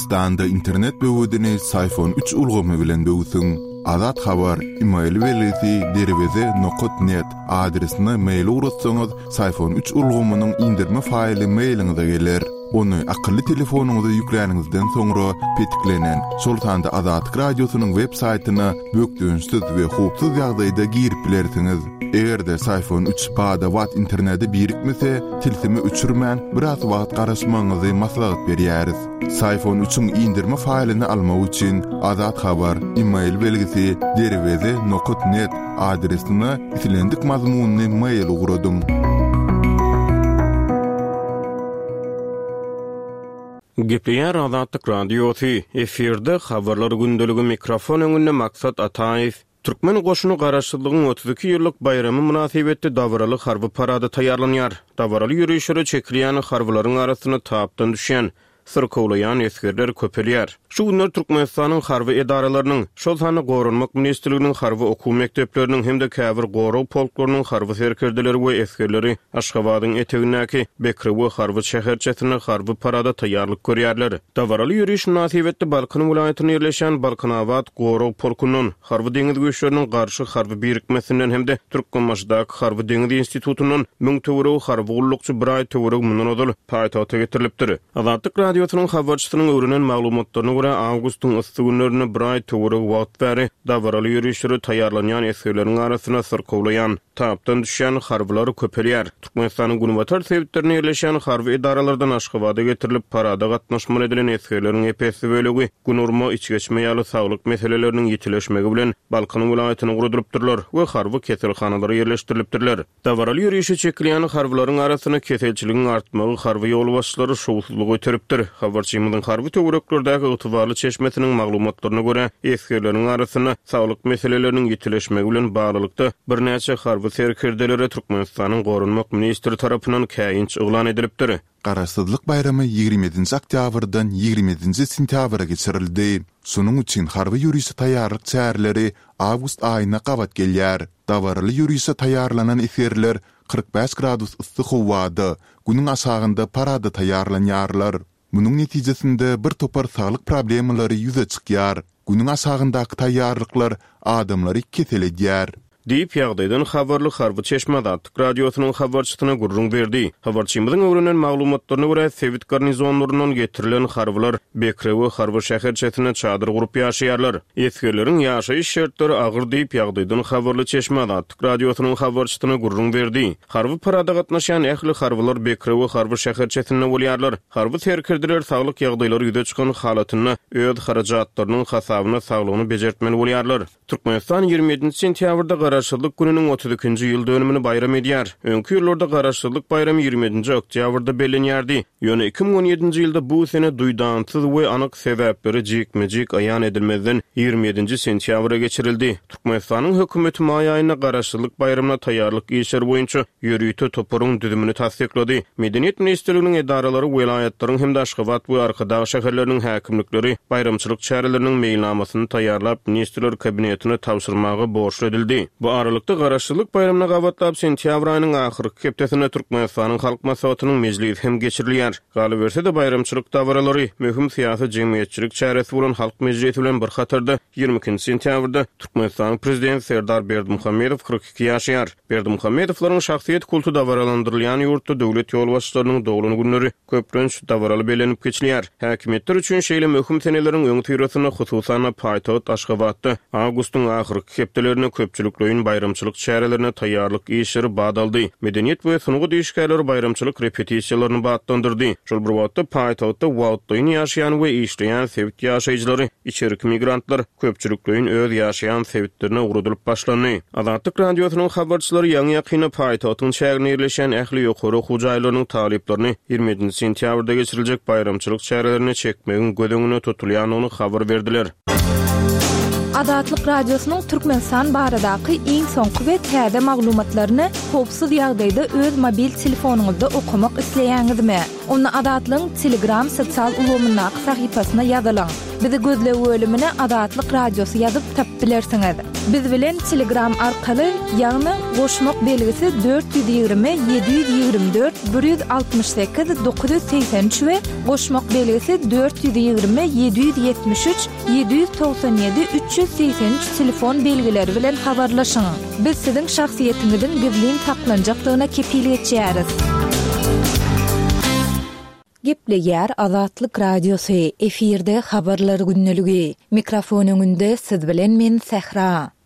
Türkmenistanda internet böwedini Syfon üç ulgamy bilen böwsüň. Azat Habar, email belgisi derweze nokat net adresine mail ugratsaňyz, Syfon üç ulgamynyň indirme faýly mailiňize geler. Ony akylly telefonyňyza ýükläniňizden soňra petiklenen, şol sanda Azatlyk Radiosynyň web saýtyna bökdençsiz we howpsuz ýagdaýda girip bilersiňiz. Eger-de Syfon üç bada-bat internete birikmese, tilsimi öçürmän, biraz wagt garaşmagyňyzy maslahat berýäris. Syfon üçiň indirme faýlyny almak üçin Azat Habar, email belgisi, derweze nokat net adresine islendik mazmunly mail ugradyň. Gepleýär Azatlyk Radiosy, efirde Habarlar gündeligi mikrofon öňünde Maksat Ataýew. Türkmen goşuny Garaşsyzlygyň 32 ýyllyk baýramy mynasybetli dabaraly harby parada taýýarlanýar. Dabaraly ýörişlere çekilýän harbylaryň arasynda tapdan düşýän, syrkawlaýan esgerler köpelýär. Şu günler Türkmenistanyň harby edaralarynyň, şol sanda Goranmak ministrliginiň harby okuw mekdepleriniň hem-de käbir gorag polklarynyň harby serkerdeleri we esgerleri Aşgabadyň etegindäki Bekrewe harby şäherçesinde harby parada taýýarlyk görýärler. Dabaraly ýöriş mynasybetli Balkan welaýatynda ýerleşýän Balkanabat gorag polkundan, Harby-deňiz güýçleriniň Garşy harby birikmesinden hem-de Türkmenbaşydaky Harby-deňiz institutyndan müň töweregi harby gullukçy bir aý töweregi mundan ozal paýtagta getirilipdir. Azatlyk Radiosynyň habarçysynyň öwrenen maglumatlaryna görä, awgustyň yssy günlerinde bir aý töweregi wagt bäri dabaraly ýörişlere taýýarlanýan esgerleriň arasynda syrkawlaýan, tapdan düşýän harbylar köpelýär. Türkmenistanyň günbatar sebitlerinde ýerleşýän harby edaralardan Aşgabada getirilip, parada gatnaşmaly edilen esgerleriň ep-esli bölegi gün urma, içgeçme ýaly saglyk meseleleriniň ýitileşmegi bilen Balkan welaýatyna ugradylypdyrlar we harby keselhanalara ýerleşdirilipdirler. Dabaraly ýörişe çekilýän harbylaryň arasynda keselçiligiň artmagy harby ýolbaşçylary şowsuzlyga iteripdir. Habarçymyzyň harby töwereklerdäki ygtybarly çeşmesiniň maglumatlaryna görä, esgerleriň arasynda saglyk meseleleriniň ýitileşmegi bilen baglylykda, birnäçe harby serkerdelere Türkmenistanyň goranmak ministri tarapyndan käýinç yglan edilipdir. Garaşsyzlyk baýramy 27-nji oktýabrdan 27-nji sentýabra geçirildi. Şonuň üçin harby ýörişe taýýarlyk çäreleri awgust aýyna gabat gelýär. Dabaraly ýörişe taýýarlanan esgerler 45 gradus yssy howada, Günüň aşagynda parada taýýarlanýarlar. Munuň netijesinde bir topar saglyk problemalary ýüze çykýar. Günüň aşagyndaky taýýarlyklar adamlary kesel edýär. Diýip, ýagdaýdan habarly harby çeşme Azatlyk Radiosynyň habarçysyna gürrüň berdi. Habarçymyzyň öwrenen maglumatlaryna görä, sebit garnizonlaryndan getirilen harbylar Bekrewe harby şäherçesinde çadyr gurup ýaşaýarlar. Esgerleriň ýaşaýyş şertleri agyr diýip, ýagdaýdan habarly çeşme Azatlyk Radiosynyň habarçysyna gürrüň berdi. Harby parada gatnaşýan ähli harbylar Bekrewe harby şäherçesinde bolýarlar. Harby serkerdeler saglyk ýagdaýlary ýüze çykan halatynda öz harajatlarynyň hasabyna saglygyny bejertmeli bolýarlar. Türkmenistan 27-nji sentýabrda Garaşsyzlyk gününiň 32-nji ýyl dönümini baýram edýär. Öňki ýyllarda Garaşsyzlyk baýramy 27-nji oktýabrda bellenýärdi. Ýöne 2017-nji ýylda bu sene duýdansyz we anyk sebäpleri jikme-jik aýan edilmezden 27-nji sentýabra geçirildi. Türkmenistanyň hökümeti maý aýynda Garaşsyzlyk baýramyna taýýarlyk işleri boýunça ýörite toparyň düzümini tassyklady. Medeniýet ministrliginiň edaralary, welaýatlaryň hem-de Aşgabat we Arkadag şäherleriniň häkimlikleri baýramçylyk çäreleriniň meýilnamasyny taýýarlap, Ministrler Kabinetine tabşyrmaga borçly edildi. Bu aralykda, Garaşsyzlyk baýramyna gabatlap, sentýabr aýynyň ahyrky hepdesinde Türkmenistanyň Halk Maslahatynyň mejlisi hem geçirilýär. Galyberse-de, baýramçylyk dabaralary, möhüm syýasy-jemgyýetçilik çäresi bolan Halk mejlisi bilen bir hatarda, 22-nji sentýabrda Türkmenistanyň Prezidenti Serdar Berdimuhamedow 42 ýaşaýar. Berdimuhamedowlaryň şahsyýet kulty dabaralandyrylýan ýurtda döwlet ýolbaşçylarynyň doglan günleri, köplenç, dabaraly bellenip geçilýär. Häkimiýetler üçin şeýle möhüm seneleriň öňüsyrasynda, hususan-da, paýtagt Aşgabatda awgustyň ahyrky hepdelerinde köpçülikleýin baýramçylyk çärelerine taýýarlyk işleri bat aldy. Medeniýet we sungat işgärleri baýramçylyk repetisiýalaryny batlandyrdy. Şol bir wagtda, paýtagtda wagtlaýyn ýaşaýan we işleýän sebit ýaşaýjylary, içerki migrantlar köpçülikleýin öz ýaşaýan sebitlerine ugradylyp başlandy. Azatlyk Radiosynyň habarçylary ýaňy-ýakynda paýtagtyň çäginde ýerleşýän ähli ýokary okuw jaýlarynyň talyplaryny 27-nji sentýabrda geçiriljek baýramçylyk çärelerine çekmegiň göz öňünde tutulýandygyny habar berdiler. Azatlyk Radiosynyň Türkmenistan baradaky iň soňky we täze maglumatlaryny howpsuz ýagdaýda öz mobil telefonyňyzda okamak isleýäňizmi? Onda Azatlygyň Telegram sosial ulgamyndaky sahypasyna ýazylyň. Bizi gözleg bölümine Azatlyk Radiosy ýazyp tapyp bilersiňiz. Biz bilen Telegram arkaly, ýagny goşmak belgisi 420 724 168 983 we goşmak belgisi 420 773 797 383 telefon belgileri bilen habarlaşyň. Biz siziň şahsyýetiňiziň gizlin saklanjakdygyna kepil geçýäris. Gepleýär Azatlyk Radiosy, efirde Habarlar gündeligi. Mikrofon öňünde siz bilen men Sähra.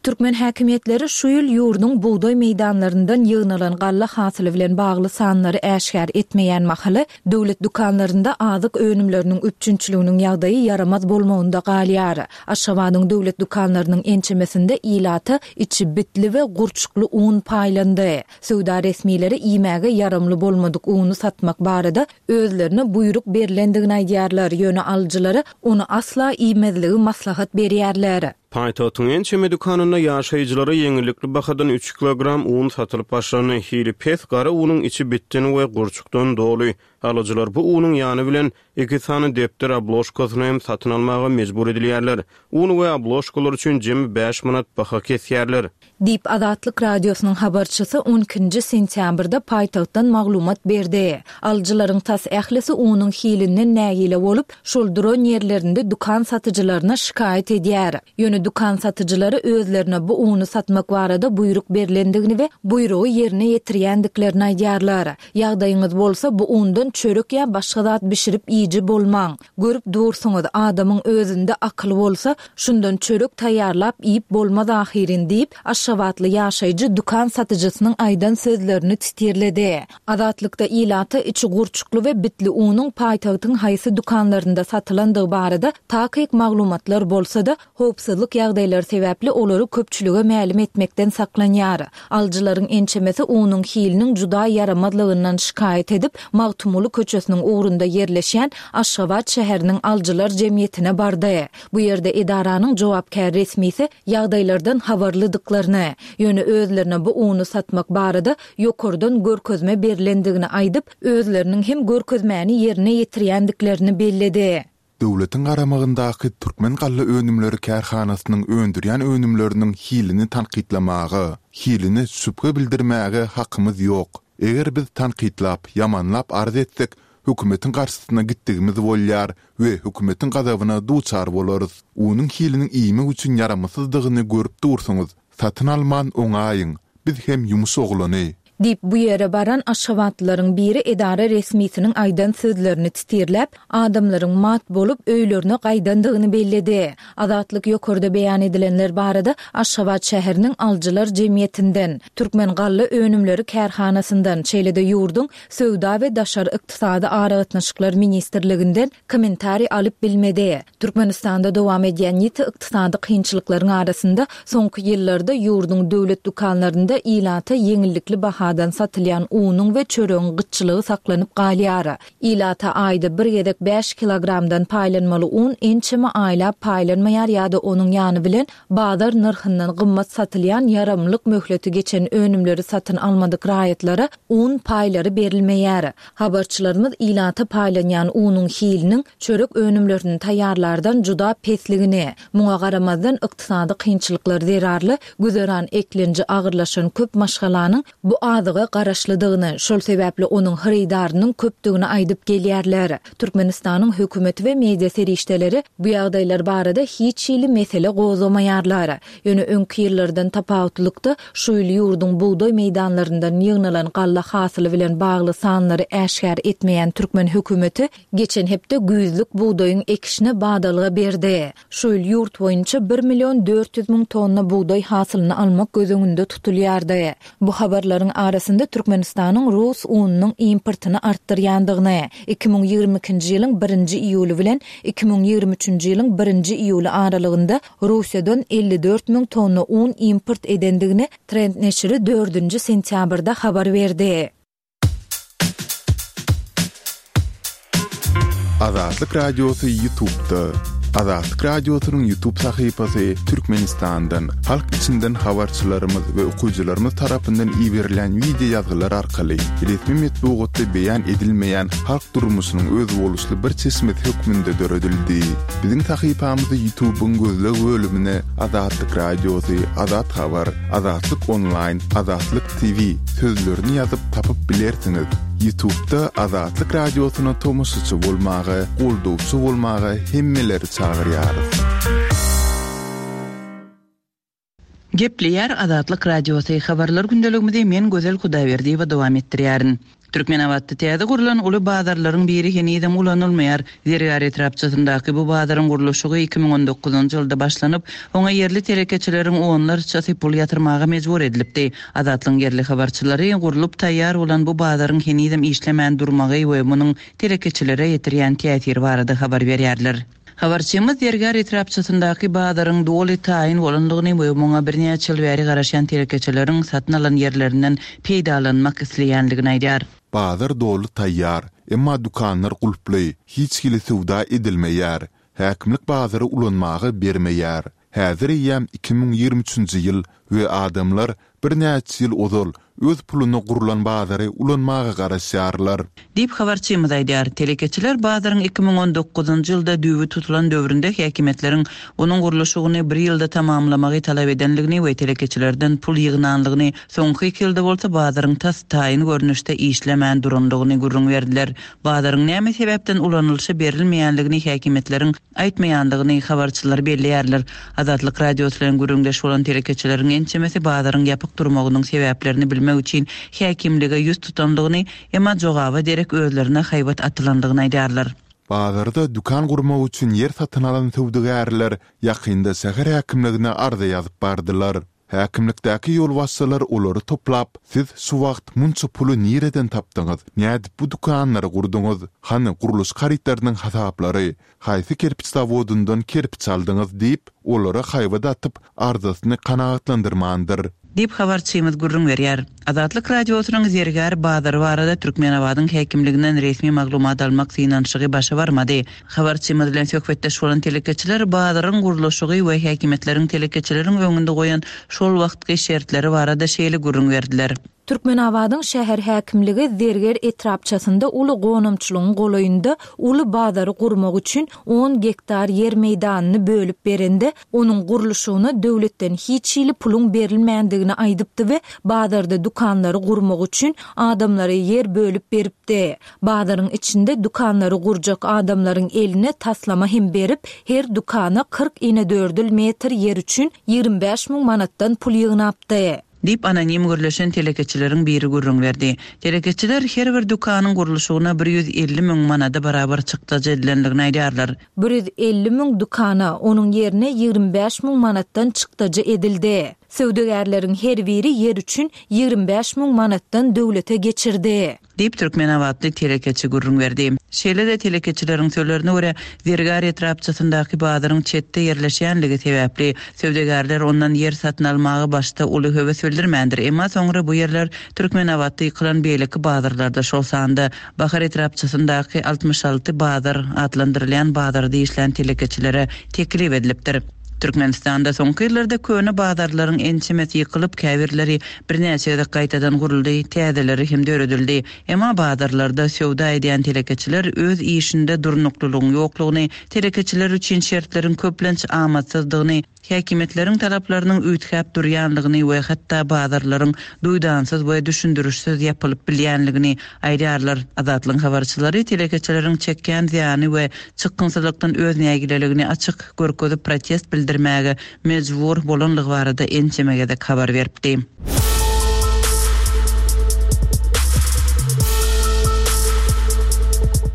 Türkmen häkimiýetleri şu ýyl ýurduň bugdaý meýdanlaryndan ýygnalan galla hasyly bilen bagly sanlary äşgär etmeýän mahaly, döwlet dükanlarynda azyk önümleriniň üpjünçiliginiň ýagdaýy ýaramaz bolmagynda galýar. Aşgabadyň döwlet dükanlarynyň ençemesinde ilata içi bitli we gurçukly un paýlandy. Söwda resmileri iýmäge ýaramly bolmadyk uny satmak barada özlerine buýruk berlendigini aýdýarlar, ýöne alyjylara ony asla iýmezligi maslahat berýärler. Paýtagtyň ençeme dükanynda ýaşaýjylara ýeňillikli bahadan üç kilogram un satylyp başlandy. Hili pes gara unuň içi bitden we gurçukdan doly. Alyjylar bu unuň ýany bilen Iki sany depder obložkasyny hem satyn almaga mejbur edilýärler. Un we obložkalar üçin jemi bäş manat baha kesýärler. Diýip, Azatlyk Radiosynyň habarçysy on ikinji sentýabrda paýtagtdan maglumat berdi. Alyjylaryň tas ählisi unuň hilinden nägile bolup, şol duran ýerlerinde dükan satyjylaryna şikaýat edýär. Ýöne dükan satyjylary özlerine bu uny satmak barada buýruk berlendigini we buýrugy ýerine ýetirýändiklerini aýdýarlar. Ýagdaýyňyz bolsa bu undan çörek ýa başga zat bişirip iýiji bolmaň. Görüp dursuňyz, adamyň özünde akyly bolsa, şundan çörek taýýarlap iýip bolmaz ahyryn diýip, aşgabatly ýaşaýjy dükan satyjysynyň aýdan sözlerini titirledi. Azatlykda ilata içi gurçukly we bitli unuň paýtagtyň haýsy dükanlarynda satylandygy barada takyk maglumatlar bolsa-da, Howpsuzlyk ýagdaýlary sebäpli olary köpçülige mälim etmekden saklanýar. Alyjylaryň ençemesi unuň hiliniň juda ýaramazlygyndan şikaýat edip, Magtymguly köçesiniň ugrunda ýerleşýän Aşgabat şäheriniň alyjylar jemgyýetine bardy. Bu ýerde edaranyň jogapkär resmisi ýagdaýlardan habarlydyklaryny, ýöne özlerine bu uny satmak barada ýokardan görkezme berlendigini aýdyp, özleriniň hem görkezmäni ýerine ýetirýändiklerini belledi. Döwletiň garamagyndaky Türkmengallaönümleri kärhanasynyň öndürýän önümleriniň hilini tankytlamaga, hiline şübhe bildirmäge hakymyz ýok. Eger biz tankytlap, ýamanlap arz etsek, hökümetiň garşysyna gitdigimiz bolýar we hökümetiň gazabyna duçar bolarys. Unuň hiliniň iýmek üçin ýaramsyzdygyny görüp dursuňyz, satyn alman oňaýyň. Biz hem ýumuş oglany. Diýip, bu ýere baran aşgabatlylaryň biri edara resmisiniň aýdan sözlerini titirläp, adamlaryň mat bolup, öýlerine gaýdandygyny belledi. Azatlyk ýokarda beýan edilenler barada Aşgabat şäheriniň Alyjylar jemgyýetinden, Türkmengalla önümleri kärhanasyndan, şeýle-de ýurduň Söwda we daşary ykdysady aragatnaşyklar ministrliginden kommentariý alyp bilmedi. Türkmenistanda dowam edýän ýiti ykdysady kynçylyklaryň arasynda, soňky ýyllarda ýurduň döwlet dükanlarynda ilata ýeňillikli bahadan satylýan unuň we çöregiň gytçylygy saklanyp galýar. Ilata aýda bir gezek bäş kilogramdan paýlanmaly un ençeme aýlap paýlanmaýar ýa-da onuň ýany bilen bazar nyrhyndan gymmat satylýan ýaramlyk möhleti geçen önümleri satyn almadyk raýatlara un paýlary berilmeýär. Habarçylarymyz ilata paýlanýan unuň hiliniň çörek önümlerini taýýarlardan juda pesligini, muňa garamazdan ykdysady kynçylyklar zerarly güzeran eklenji agyrlaşan köp maşgalanyň bu azyga garaşlydygyny, şol sebäpli onuň hyrydarynyň köpdügini aýdyp gelýärler. Türkmenistanyň hökümeti we media serişdeleri bu ýagdaýlar barada hiç hili mesele gozgamaýarlar. Ýöne öňki ýyllardan tapawutlykda, şu ýyl ýurduň bugdaý meýdanlaryndan ýygnalan galla hasyly bilen bagly sanlary äşgär etmeýän türkmen hökümeti geçen hepde güýzlük bugdaýyň ekişine badalga berdi. Şu ýyl ýurt boýunça bir million 400 müň tonna bugdaý hasylyny almak göz öňünde tutulýardy. Bu habarlaryň arasynda Türkmenistanyň rus ununyň importyny artdyrýandygyny, 2022-nji ýylyň birinji iýuly bilen 2023-nji ýylyň birinji iýuly aralygynda Russiýadan 54 müň tonna un import edendigini Trend neşiri dördünji sentýabrda habar berdi. Azatlyk Radiosy YouTube'da. Azatlyk Radiosynyň YouTube sahypasy Türkmenistandan, halk içinden habarçylarymyz we okyjylarymyz tarapyndan iberilýän wideo ýazgylar arkaly resmi metbugatda beýan edilmeýän halk durmuşynyň özboluşly bir çeşmesi hökmünde döredildi. Biziň sahypamyzy YouTube-yň gözleg bölümine Azatlyk Radiosy, Azat Habar, Azatlyk Onlaýn, Azatlyk TV sözlerini ýazyp tapyp bilersiňiz. Ýutubda Azatlyk Radiosyna tomaşaçy bolmaga, goldawçy bolmaga hemmeleri çagyrýarys. Gepleýär Azatlyk Radiosy, Habarlar gündeligimizi men Gözel Hudaýberdiýewa dowam etdirýärin. Türkmenabatda täze gurlan uly bazarlaryň biri henizem ulanylmaýar. Zergär etrapçasyndaky bu bazaryň gurluşygy 2019-njy ýylda başlanyp, oňa ýerli telekeçileriň onlarçasy pul ýatyrmaga mejbur edilipdi. Azatlygyň ýerli habarçylary gurlup taýýar bolan bu bazaryň henizem işlemän durmagy we munuň telekeçilere ýetirýän täsiri barada habar berýärler. Habarçymyz Zergär etrapçasyndaky bazaryň doly taýyn bolandygyny we muňa birnäçe ýyl bäri garaşýan telekeçileriň satyn alan ýerlerinden peýdalanmak isleýändigini aýdýar. Bazar doly taýýar, emma dükanlar gulply, hiç hili söwda edilmeýär. Häkimlik bazary ulanmaga bermeýär. Häzir eýýäm 2023-nji ýyl we adamlar birnäçe ýyl ozal öz puluna gurlan bazary ulanmaga garaşýarlar. Diýip, habarçymyz aýdýar. Telekeçiler bazaryň 2019-njy ýylda düýbi tutulan döwründe häkimiýetleriň onuň gurluşygyny bir ýylda tamamlamagy talap edendigini we telekeçilerden pul ýygnandygyny, soňky iki ýylda bolsa bazaryň tas taýyn görnüşde işlemän durandygyny gürrüň berdiler. Bazaryň näme sebäpden ulanylyşa berilmeýändigini häkimiýetleriň aýtmaýandygyny habarçylar belleýärler. Azatlyk Radiosy bilen gürrüňdeş bolan telekeçileriň ençemesi bazaryň ýapyk durmagynyň sebäplerini bilmek üçin häkimlige ýüz tutandygyny, emma jogaba derek özlerine haýbat atylandygyny aýdýarlar. Bazarda dükan gurmak üçin ýer satyn alan söwdagärler ýakynda şäher häkimligine arza ýazyp bardylar. Häkimlikdäki ýolbaşçylar olary toplap, Siz şu wagt munça puly nireden tapdyňyz, nädip bu dükanlary gurduňyz, hany gurluşyk harytlarynyň hasaplary, haýsy kerpiç zawodyndan kerpiç aldyňyz diýip, olara haýbat atyp, arzasyny kanagatlandyrmandyr. Diýip, habarçymyz gürrüň berýär. Azatlyk Radiosynyň Zergär bazary barada Türkmenabadyň häkimliginden resmi maglumat almak synanyşygy başa barmady. Habarçymyz bilen söhbetdeş bolan telekeçiler bazaryň gurluşygy we häkimiýetleriň telekeçileriň öňünde goýan şol wagtky şertleri barada şeýle gürrüň berdiler. Türkmenabadyň şäher häkimligi Zerger etrapçasynda uly gonamçylygyň golaýynda uly bazary gurmak üçin on gektar ýer meýdanyny bölüp berende, onuň gurluşygyna döwletden hiç hili puluň berilmändigini aýdypdy we bazarda dükanlary gurmak üçin adamlara ýer bölüp beripdi. Bazaryň içinde dükanlary gurjak adamlaryň eline taslama hem berip, her dükana 40 inedördül metr ýer üçin 25 müň manatdan pul ýygnapdy. Diýip, anonim gürleşen telekeçileriň biri gürrüň berdi. Telekeçiler her bir dükanyň gurluşygyna 150 müň manada barabar çykdajy edilendigini aýdýarlar. 150 müň dükana, onuň ýerine 25 müň manatdan çykdajy edildi. Söwdagärleriň her biri ýer üçin 25 müň manatdan döwlete geçirdi. Diýip, türkmenabatly telekeçi gürrüň berdi. Şeýle-de telekeçileriň sözlerine görä, Zergär etrapçasyndaky bazaryň çetde ýerleşýänligi sebäpli, söwdagärler ondan ýer satyn almaga başda uly höwes bildirmändir. Emma soňra bu ýerler Türkmenabatda ýykylan beýleki bazarlarda, şol sanda Bahar etrapçasyndaky 66 bazar atlandyrylýan bazarda işlän telekeçilere teklip edilipdir. Türkmenistanda soňky ýyllarda köne bazarlaryň ençemesi ýykylyp, käbirleri birnäçe gezek gaýtadan guruldy, täzeleri hem döredildi. Emma bazarlarda söwda edýän telekeçiler öz işinde durnuklylygyň ýoklugyny, telekeçiler üçin şertleriň köplenç amatsyzdygyny, häkimiýetleriň talaplarynyň üýtgäp durýanlygyny we hatda bazarlaryň duýdansyz we düşündirişsiz ýapylyp bilýänligini aýdýarlar. Azatlygyň habarçylary telekeçileriň çekýän zyýany we çykgynsyzlykdan öz nägileligini açyk görkezip protest bildirmäge mejbur bolanlygy barada ençeme gezek habar beripdi.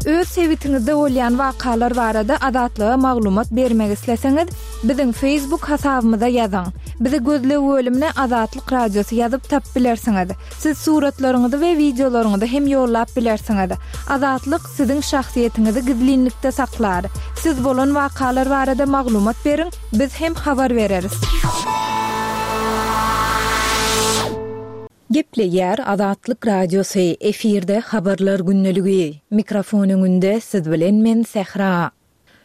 Öz sebitiňizde bolýan wakalar barada Azatlyga maglumat bermek isleseňiz, biziň Facebook hasabymyza ýazyň. Bizi gözleg bölümine Azatlyk Radiosy ýazyp tapyp bilersiňiz. Siz suratlaryňyzy we wideolaryňyzy hem ýollap bilersiňiz. Azatlyk siziň şahsyýetiňizi gizlinlikde saklar. Siz bolan wakalar barada maglumat beriň, biz hem habar bereris. Gepleýär Azatlyk Radiosy, efirde Habarlar gündeligi. Mikrofon öňünde siz bilen men Sähra.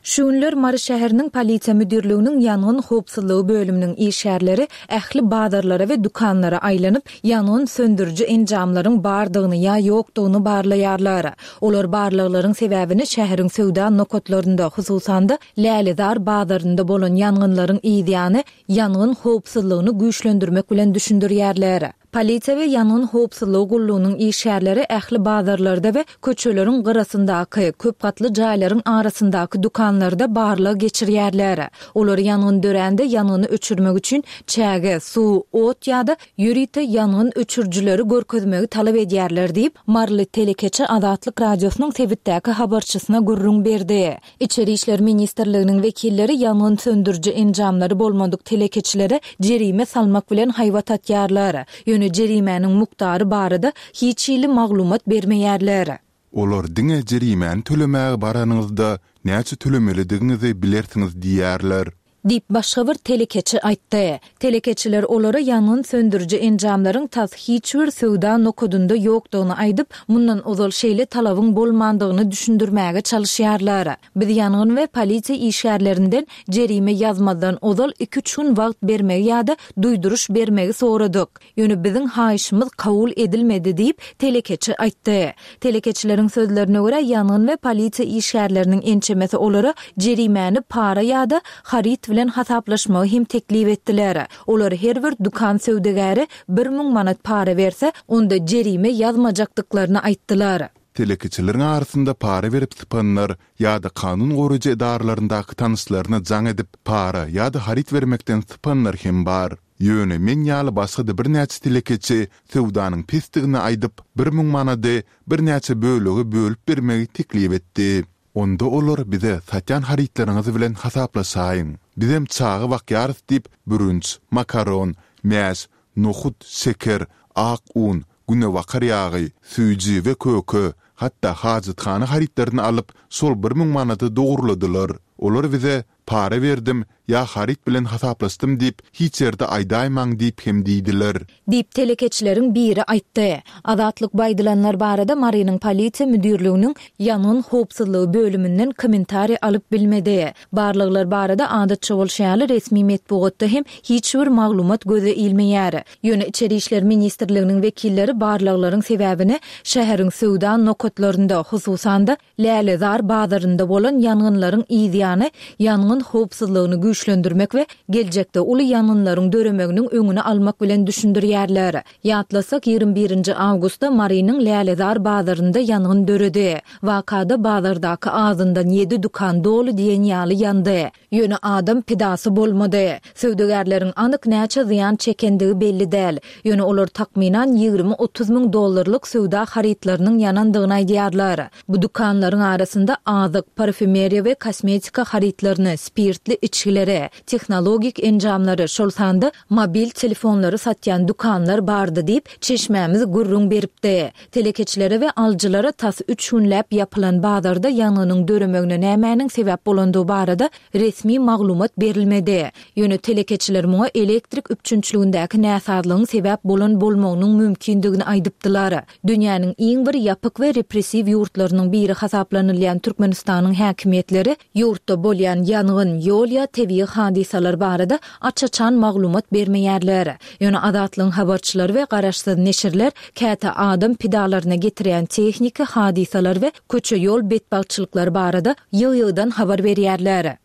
Şu günler Mary şäheriniň Polisiýa müdirliginiň ýangyn howpsuzlygy bölüminiň işgärleri ähli bazarlara we dükanlara aýlanyp, ýangyn söndüriji enjamlaryň bardygyny ýa ýokdugyny barlaýarlar. Olar barlaglaryň sebäbini şäheriň söwda nokatlarynda, hususan-da, Lälezar bazarynda bolan ýangynlaryň yzýany ýangyn howpsuzlygyny güýçlendirmek bilen düşündirýärler. Polisiýa we ýangyn howpsuzlygy gullugynyň işgärleri ähli bazarlarda we köçeleriň gyrasyndaky, köp gatly jaýlaryň arasyndaky dükanlarda barlag geçirýärler. Olar ýangyn dörände ýangyny öçürmek üçin çäge, suw, ot ýa-da ýörite ýangyn öçürijileri görkezmegi talap edýärler diýip, maryly telekeçi Azatlyk Radiosynyň sebitdäki habarçysyna gürrüň berdi. Içeri işler ministrliginiň wekilleri ýangyn söndüriji enjamlary bolmadyk telekeçilere jerime salmak bilen haýbat atýarlar. Ýöne jerimäniň mukdary barada hiç hili maglumat bermeýärler. Olar diňe jerimäni tölemäge baranyňyzda näçe tölemelidigiňizi bilersiňiz diýýärler. Diýip, başga bir telekeçi aýtdy. Telekeçiler olara ýangyn söndüriji enjamlaryň tas hiç bir söwda nokadynda ýokdugyny aýdyp, mundan ozal şeýle talabyň bolmandygyny düşündirmäge çalyşýarlar. Biz ýangyn we polisiýa işgärlerinden jerime ýazmazdan ozal iki-üç gün wagt bermegi ýa-da duýduryş bermegi soradyk. Ýöne biziň haýyşymyz kabul edilmedi diýip, telekeçi aýtdy. Telekeçileriň sözlerine görä, ýangyn we polisiýa işgärleriniň ençemesi olara jerimäni para ýa-da haryt bilen hasaplaşmagy hem teklip etdiler. Olar her bir dükan söwdagäri 1000 manat para berse, onda jerime ýazmajakdyklaryny aýtdylar. Telekeçileriň arasynda para berip sypanlar ýa-da kanun goraýjy edaralaryndaky tanyşlaryna jaň edip, para ýa-da haryt bermekden sypanlar hem bar. Ýöne men ýaly başga-da birnäçe telekeçi söwdanyň pesdigini aýdyp, 1000 manady birnäçe bölege bölüp bermegi teklip etdi. Onda olar bize satýan harytlaryňyz bilen hasaplaşaýyň. Bizem çaga bakýarys diýip, bürünç, makaron, mäş, nohut, şeker, ak un, günebakar ýagy, süýji we köke, hatda hajathana harytlaryny alyp, şol 1000 manady dogurladylar. Olar bize Para berdim ýa haryt bilen hasaplaşdym diýip hiç ýerde aýdaýmaň diýip hem diýdiler. Diýip, telekeçileriň biri aýtdy. Azatlyk bu aýdylanlar barada Marynyň polisiýa müdirliginiň ýangyn howpsuzlygy bölüminden kommentariý alyp bilmedi. Barlaglar barada adatça bolşy ýaly resmi metbugatda hem hiç bir maglumat göze ilmeýär. Ýöne Içeri işler ministrliginiň wekilleri barlaglaryň sebäbini şäheriň söwda nokatlarynda, hususan-da, Lälezar bazarynda bolan ýangynlaryň yzýany ýangyn howpsuzlygyny güýçlendirmek we geljekde uly ýangynlaryň döremeginiň öňüni almak bilen düşündirýärler. Ýatlasak, 21 nji awgustda Marynyň Lälezar bazarynda ýangyn döredi. Wakada bazardaky azyndan ýedi dükan doly diýen ýaly ýandy. Ýöne adam pidasy bolmady. Söwdagärleriň anyk näçe zyýan çekendigi belli däl. Ýöne olar takmynan 20-30 müň dollarlyk söwda harytlarynyň ýanandygyny aýdýarlar. Bu dükanlaryň arasynda azyk, parfýumeriýa we kosmetika harytlaryny, spirtli içgileri, tehnologik enjamlary, şol sanda mobil telefonlary satýan dükanlar bardy diýip, çeşmämiz gürrüň beripdi. Telekeçilere we alyjylara tas üç günläp ýapylan bazarda ýangynyň döremegine nämäniň sebäp bolandygy barada resmi maglumat berilmedi. Ýöne telekeçiler muňa elektrik üpjünçiligindäki näsazlygyň sebäp bolan bolmagynyň mümkindigini aýdypdylar. Dünýäniň iň bir ýapyk we repressiw ýurtlarynyň biri hasaplanylýan Türkmenistanyň häkimiýetleri ýurtda bolýan ýangyn, ýol ýa tebigy hadysalar barada aç-açan maglumat bermeýärler. Ýöne Azatlygyň habarçylary we garaşsyz neşirler käte adam pidalaryna getirýän tehniki hadysalar we köçe-ýol betbagtçylyklary barada ýygy-ýygydan habar berýärler.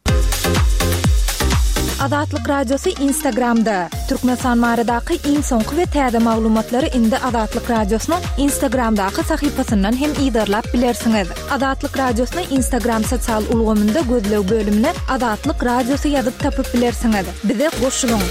Azatlyk Radiosy Instagramda, Türkmenistan baradaky iň soňky we täze maglumatlary indi Azatlyk Radiosynyň Instagramdaky sahypasyndan hem yzarlap bilersiňiz. Azatlyk Radiosyny Instagram sosial ulgamynda gözleg bölümine Azatlyk Radiosy ýazyp tapyp bilersiňiz. Bize goşulyň!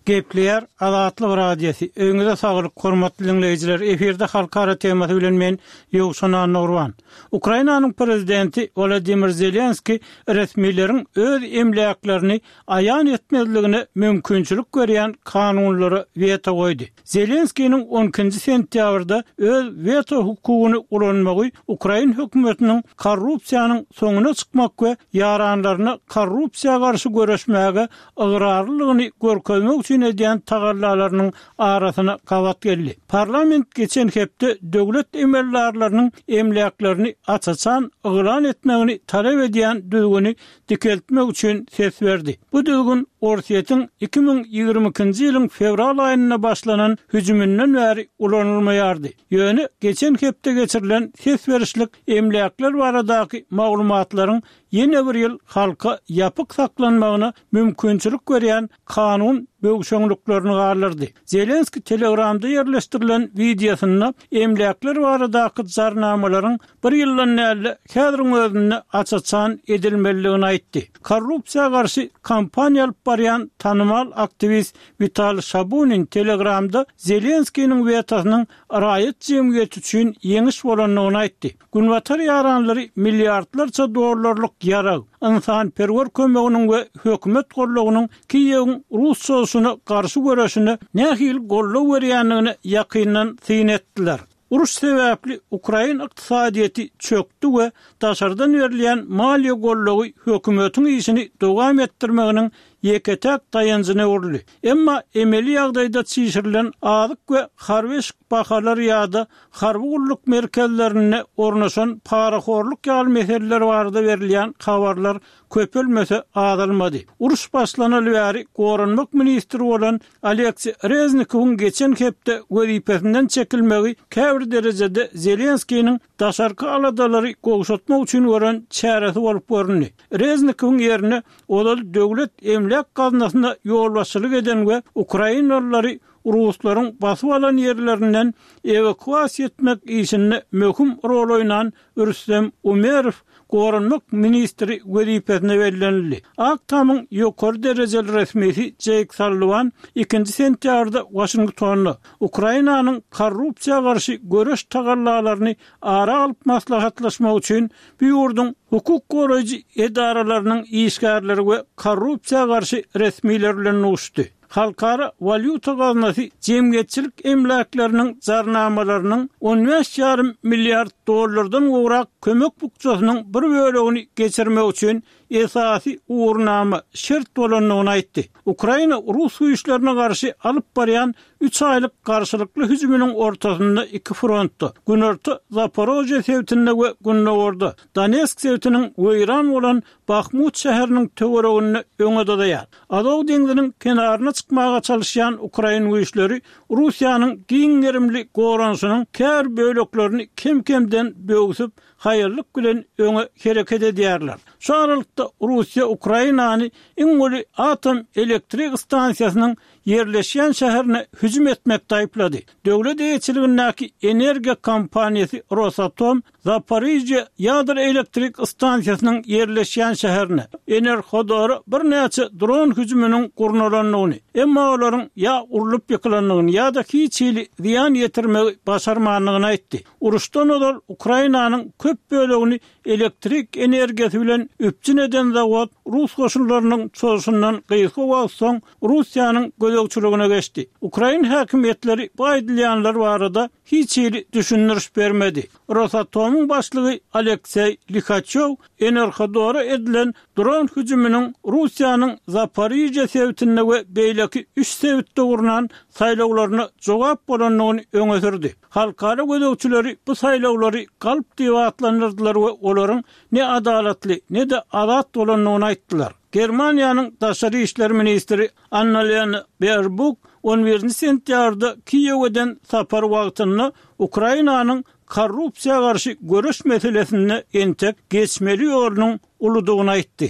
Gepleýär Azatlyk Radiosy, Öýüňize saglyk, hormatly diňleýjiler! Efirde Halkara temasy bilen men, Ýowşan Annagurban. Ukrainanyň prezidenti Wolodymyr Zelenskiý resmileriň öz emläklerini aýan etmezligine mümkinçilik berýän kanunlara weto goýdy. Zelenskiniň on ikinji sentýabrda öz weto hukugyny ulanmagy ukrain hökümetiniň korrupsiýanyň soňuna çykmak we ýaranlaryna korrupsiýa garşy göreşmäge ygrarlylygyny görkezmek üçin. üçin edýän tagallalarynyň arasyna gabat geldi. Parlament geçen hepde döwlet emeldarlarynyň emläklerini aç-açan yglan etmegini talap edýän düzgüni dikeltmek üçin ses berdi. Bu düzgün Orsýetiň 2022-nji ýylyň fewral aýynda başlanan hüjüminden bäri ulanylmaýardy. Ýöne geçen hepde geçirilen ses berişlik emläkler baradaky maglumatlaryň ýene bir ýyl halka ýapyk saklanmagyna mümkinçilik berýän kanun böwşeňliklerini galdyrdy. Zelenskiý Telegramda ýerleşdirilen wideosynda emläkler baradaky jarnamalaryň bir ýyldan däl-de, häziriň özünde aç-açan edilmelidigini aýtdy. Korrupsiýa garşy kampaniýa alyp barýan tanymal aktiwist Witaliý Şabunin Telegramda Zelenskiniň wetosynyň raýat jemgyýeti üçin ýeňiş bolandygyny aýtdy. Günbatar ýaranlary milliardlarça dollarlyk ýarag, ynsanperwer kömeginiň we hökümet goldawynyň Kiýewiň rus çozuşyna garşy göreşine nähili goldaw berýändigine ýakyndan syn etdiler. Uruş sebäpli ukrain ykdysadyýeti çökdi we daşardan berilýän maliýe goldawy hökümetiň işini dowam etdirmeginiň ýeke-täk daýanjyna öwrüldi. Emma emeli ýagdaýda çişirilen azyk we harby eşik bahalary ýa-da harby gulluk merkezlerinde ornaşan parahorluk ýaly meseleler barada berilýän habarlar köpelmese azalmady. Uruş başlanaly bäri goranmak ministri bolan Oleksiý Reznikowyň geçen hepde wezipesinden çekilmegi käbir derejede Zelenskiniň daşarky aladalary gowşatmak üçin gören çäresi bolup göründi. Reznikowyň ýerine ozal Döwlet emläk gaznasyna ýolbaşçylyk eden we ukrainalylary ruslaryň basyp alan ýerlerinden ewakuasiýa etmek işinde möhüm rol oýnan Rüstem Umerow goranmak ministri wezipesine bellenildi. Ak Tamyň ýokary derejeli resmisi Jeýk Salliwan ikinji sentýabrda Waşingtonda Ukrainanyň korrupsiýa garşy göreş tagallalaryny ara alyp maslahatlaşmak üçin bu ýurduň hukuk goraýjy edaralarynyň işgärleri we korrupsiýa garşy resmiler bilen duşuşdy. Halkara walýuta gaznasy jemgyýetçilik emläkleriniň jarnamalarynyň on bäş ýarym milliard dollardan gowrak kömek bukjasynyň bir bölegini geçirmek üçin esasy ugurnama, şert bolandygyny aýtdy. Ukraina rus güýçlerine garşy alyp barýan üç aýlyk garşylykly hüjüminiň ortasynda iki frontda, günorta Zaporožýe sebitinde we gündogarda Donetsk sebitiniň weýran bolan Bahmut şäheriniň töwereginde öňe dyzaýar. Azow deňziniň kenaryna çykmaga çalyşýan ukrain güýçleri Russiýanyň giň gerimli goranyşynyň käbir böleklerini kem-kemden böwsüp, haýallyk bilen öňe hereket edýärler. Şu aralykda Russiýa Ukrainany iň uly atom elektrik stansiýasynyň ýerleşýän şäherine hüjüm etmekde aýyplady. Döwlet eýeçiligindäki energiýa kompaniýasy Rosatom Zaporižýe ýadro elektrik stansiýasynyň ýerleşýän şäherine, Enerhodora birnäçe dron hüjüminiň gurnalandygyny, emma olaryň ýa urlup ýykylandygyny ýa-da hiç hili zyýan ýetirmegi başarmandygyny aýtdy. Uruşdan ozal Ukrainanyň köp bölegini elektrik energiýasy bilen üpjün eden zawod rus goşunlarynyň çozuşyndan gysga wagt soň Russiýanyň gözegçiligine geçdi. Ukrain häkimiýetleri bu aýdylýanlar barada hiç hili düşündiriş bermedi. Rosatomyň başlygy Alekseý Lihaçýow Enerhodora edilen dron hüjüminiň Russiýanyň Zaporižýe sebitinde we beýleki üç sebitde gurnan saýlawlaryna jogap bolandygyny öňe sürdi. Halkara gözegçileri bu saýlawlary galp diýip atlandyrdylar we olaryň ne adalatly, ne-de azat bolandygyny aýtdylar. Germaniýanyň daşary işler ministri Annalena Berbuk on birinji sentýabrda Kiýewe eden sapary wagtynda Ukrainanyň korrupsiýa garşy göreş meselesinde entek geçmeli ýolunyň uludygyny aýtdy.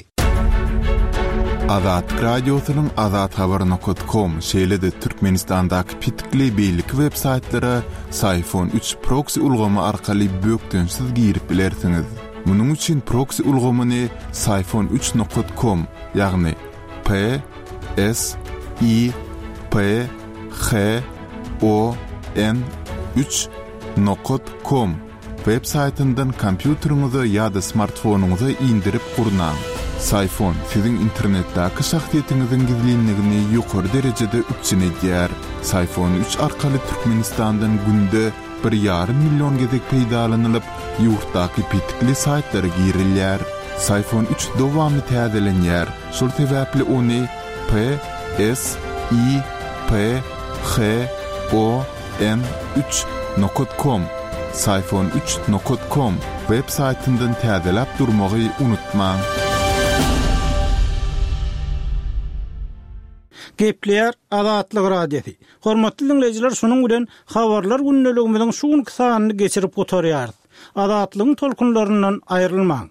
Azatlyk Radiosynyň azathabar nokat kom şeýle-de Türkmenistandaky petikli beýleki web saýtlara Syfon üç proksi ulgamy arkaly bökdençsiz girip bilersiňiz. Munuň üçin proksi ulgamyny syfon üç nokat kom, ýagny P S I P H O N üç nokat kom web saýtyndan kompýuteriňize ýa-da smartfonyňyza indirip gurnaň. Syfon siziň internetdäki şahsyýetiňiziň gizlinligini ýokary derejede üpjün edýär. Syfon üç arkaly Türkmenistandan günde bir ýarym million gezek peýdalanylyp, ýurtdaky petikli saýtlara girilýär. Syfon üç dowamly täzelenýär, şol sebäpli ony P, S, I, P H O N üç nokat kom Syfon üç nokat kom web saýtyndan täzeläp durmagy unutmaň. Gepleýär Azatlyk Radiosy. Hormatly diňleýjiler şunuň bilen Habarlar gündeligimiziň şu günki sanyny geçirip gutarýarys. Azatlygyň tolkunlaryndan aýrylmaň.